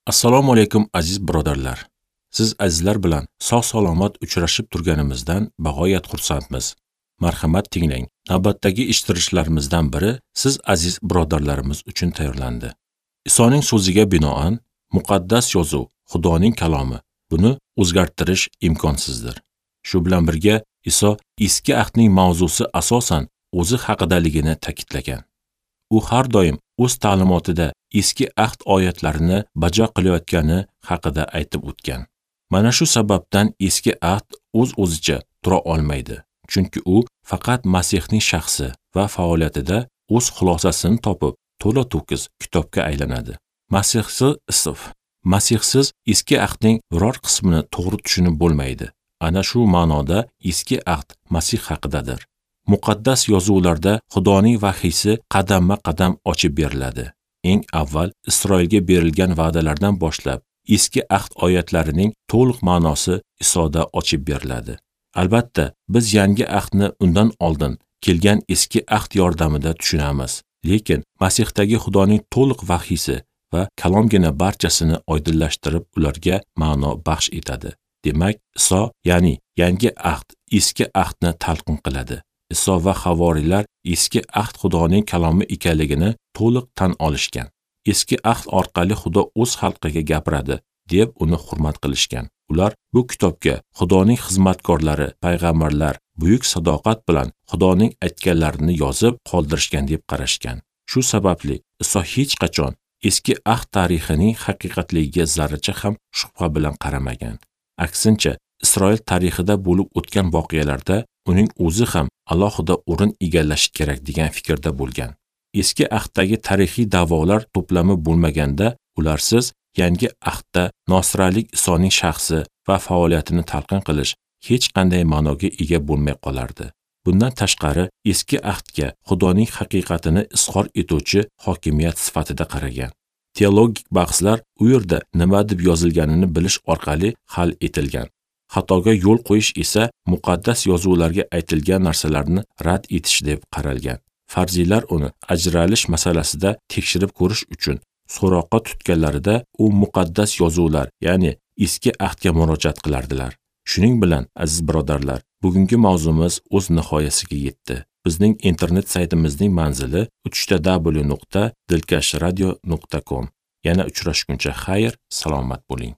Assalomu alaykum aziz birodarlar. Siz azizlar bilan sog' salomat uchrashib turganimizdan bag'oyat xursandmiz. Marhamat tinglang. Navbatdagi eshittirishlarimizdan biri siz aziz birodarlarimiz uchun tayyorlandi. Isoning so'ziga binoan muqaddas yozuv Xudoning kalomi. Buni o'zgartirish imkonsizdir. Shu bilan birga Iso eski ahdning mavzusi asosan o'zi haqidaligini ta'kidlagan. U har doim o'z ta'limotida eski ahd oyatlarini bajo qilayotgani haqida aytib o'tgan. Mana shu sababdan eski ahd o'z-o'zicha tura olmaydi, chunki u faqat Masihning shaxsi va faoliyatida o'z xulosasini topib, to'la-to'kis kitobga aylanadi. Masihsiz eski ahdning biror qismini to'g'ri tushunib bo'lmaydi. Ana shu ma'noda eski ahd Masih haqidadir. Muqaddas yozuvlarda Xudoning vahiysi qadamma-qadam ochib beriladi. Eng avval Isroilga berilgan va'dalardan boshlab eski ahd oyatlarining to'liq ma'nosi Isoda ochib beriladi. Albatta, biz yangi ahdni undan oldin kelgan eski ahd yordamida tushunamiz. Lekin Masihdagi Xudoning to'liq vahiysi va kalomgina barchasini oydinlashtirib, ularga ma'no baxsh etadi. Demak, Iso, ya'ni yangi ahd eski ahdni talqin qiladi. Iso va havoriylar eski ahd Xudoning kalomi ekanligini to'liq tan olishgan. Eski ahd orqali Xudo o'z xalqiga gapiradi deb uni hurmat qilishgan. Ular bu kitobga Xudoning xizmatkorlari, payg'ambarlar buyuk sadoqat bilan Xudoning aytganlarini yozib qoldirishgan deb qarashgan. Shu sababli Iso hech qachon eski ahd tarixining haqiqatligiga zarracha ham shubha bilan qaramagan. Aksincha, Isroil tarixida bo'lib o'tgan voqealarda uning o'zi ham alohida o'rin egallashi kerak degan fikrda bo'lgan. Eski ahddagi tarixiy da'volar to'plami bo'lmaganda, ularsiz yangi ahdda nosralik Isoning shaxsi va faoliyatini talqin qilish hech qanday ma'noga ega bo'lmay qolardi. Bundan tashqari, eski ahdga Xudoning haqiqatini izhor etuvchi hokimiyat sifatida qaragan. Teologik bahslar u yerda nima deb yozilganini bilish orqali hal etilgan. Xatoga yo'l qo'yish esa muqaddas yozuvlarga aytilgan narsalarni rad etish deb qaralgan. Farziylar uni ajralish masalasida tekshirib ko'rish uchun so'roqqa tutganlarida u muqaddas yozuvlar, ya'ni eski ahdga murojaat qilardilar. Shuning bilan, aziz birodarlar, bugungi mavzumiz o'z nihoyasiga yetdi. Bizning internet saytimizning manzili www.dilkashradio.com. Yana uchrashguncha xayr, salomat bo'ling.